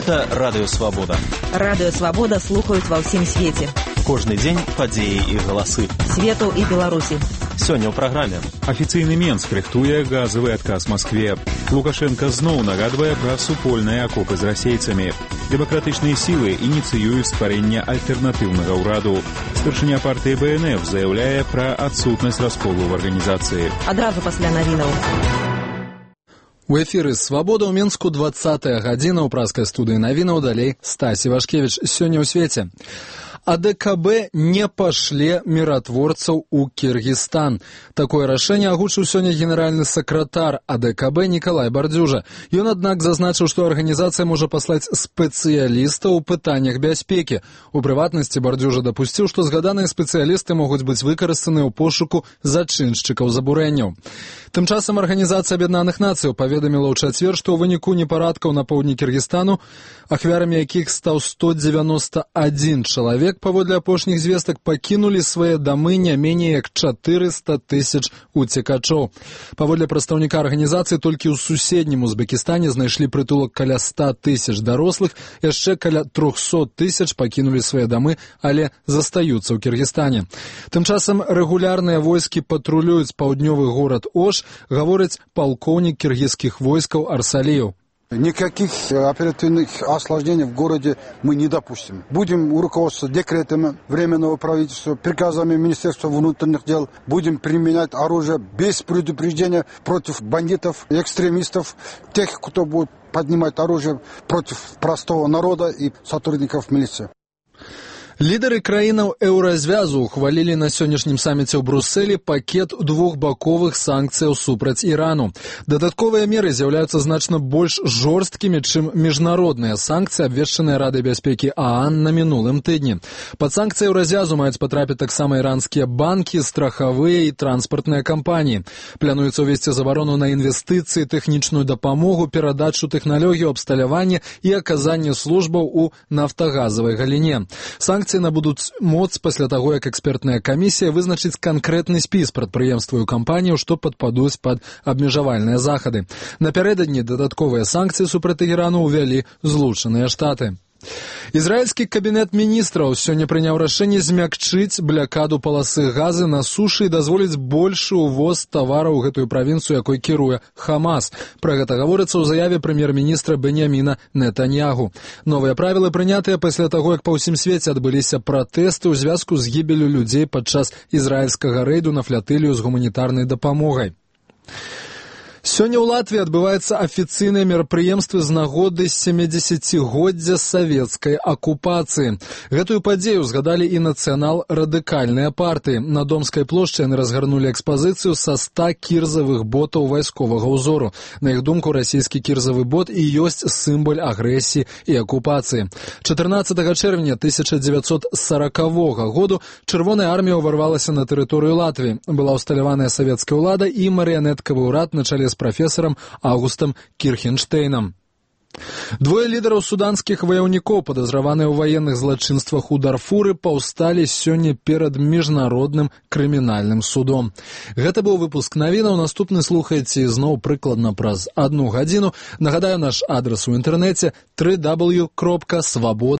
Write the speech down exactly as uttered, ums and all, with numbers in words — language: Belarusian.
Гэта Радыё Свабода. Радыё Свабода слухаюць ва ўсім свеце. Кожны дзень падзеі і галасы. Свету і Беларусі. Сёння ў праграме. Афіцыйны Менск рыхтуе газавы адказ Маскве. Лукашенко зноў нагадвае пра супольныя акопы з расейцамі. Дэмакратычныя сілы ініцыююць стварэнне альтэрнатыўнага ўраду. Старшыня партыі Бэ Эн Эф заяўляе пра адсутнасць расколу ў арганізацыі. Адразу пасля навінаў. У эфіры «Свабода» ў Менску двадцатая гадзіна ў праскай студыі навінаў, далей Стасі Вашкевіч. Сёння ў свеце. А Дэ Ка Бэ не пашле міратворцаў у Кіргізстан. Такое рашэнне агучыў сёння генеральны сакратар А Дэ Ка Бэ Нікалай Бардзюжа. Ён, аднак, зазначыў, што арганізацыя можа паслаць спецыялістаў у пытаннях бяспекі. У прыватнасці Бардзюжа дапусціў, што згаданыя спецыялісты могуць быць выкарыстаны ў пошуку зачыншчыкаў забурэнняў. Тым часам Арганізацыя Аб'яднаных Нацыяў паведаміла ў чацвер, што ў выніку непарадкаў на поўдні Кіргізстану, ахвярамі якіх стаў сто дзевяноста адзін чалавек, паводле апошніх звестак пакінулі свае дамы не меней як чатырыста тысяч уцекачоў. Паводле прадстаўніка арганізацыі, толькі ў суседнім Узбекістане знайшлі прытулак каля ста тысяч дарослых, яшчэ каля трохсот тысяч пакінулі свае дамы, але застаюцца ў Кіргізстане. Тым часам рэгулярныя войскі патрулююць паўднёвы горад Ош, гаворыць палкоўнік кіргізскіх войскаў Арсалиев. Никаких оперативных осложнений в городе мы не допустим. Будем руководствоваться декретами Временного правительства, приказами Министерства внутренних дел. Будем применять оружие без предупреждения против бандитов, экстремистов, тех, кто будет поднимать оружие против простого народа и сотрудников милиции. Лідары краінаў еўразвязу ухвалілі на сённяшнім саміце ў Брусэлі пакет двухбаковых санкцыяў супраць Ірану. Дадатковыя меры з'яўляюцца значна больш жорсткімі, чым міжнародныя санкцыі, абвешчаныя Радай бяспекі ААН на мінулым тыдні. Пад санкцыі еўразвязу маюць патрапіць таксама іранскія банкі, страхавыя і транспартныя кампаніі. Плануецца ўвесці забарону на інвестыцыі, тэхнічную дапамогу, перадачу тэхналогію абсталявання і аказанне службаў у нафтагазавай галіне. Санкцыі набудуць моц пасля таго, як экспертная камісія вызначыць канкрэтны спіс прадпрыемстваў і кампаніяў, што падпадуць пад абмежавальныя захады. Напярэдадні дадатковыя санкцыі супраць Ірану ўвялі Злучаныя Штаты. Ізраільскі кабінет міністраў сёння прыняў рашэнне змякчыць блякаду паласы газы на сушы і дазволіць большы ўвоз тавараў у гэтую правінцыю, якой кіруе Хамас. Пра гэта гаворыцца ў заяве прэм'ер-міністра Беньяміна Нетаньягу. Новыя правілы прынятыя пасля таго, як па ўсім свеце адбыліся пратэсты ў звязку з гібеллю людзей падчас ізраільскага рэйду на флатылію з гуманітарнай дапамогай. Сёння ў Латвіі адбываецца афіцыйнае мерапрыемства з нагоды сямідзесяцігоддзя савецкай акупацыі. Гэтую падзею згадалі і нацыянал-радыкальныя партыі. На Домскай плошчы яны разгарнулі экспазіцыю са ста кірзавых ботаў вайсковага ўзору. На іх думку, расійскі кірзавы бот і ёсць сімвал агрэсіі і акупацыі. чатырнаццатага чэрвеня тысяча дзевяцьсот саракавога году Чырвоная армія ўварвалася на тэрыторыю Латвіі. Была ўсталяваная савецкая ўлада і марыянеткавы ўрад на чале з прафесарам Аўгустам Кірхенштейнам. Двое лідараў суданскіх ваяўнікоў, падазраваныя ў ваенных злачынствах у Дарфуры, паўсталі сёння перад міжнародным крымінальным судом. Гэта быў выпуск навінаў. Наступны слухаеце зноў прыкладна праз адну гадзіну. Нагадаю, наш адрас у інтэрнэце дабл ю дабл ю дабл ю кропка свабода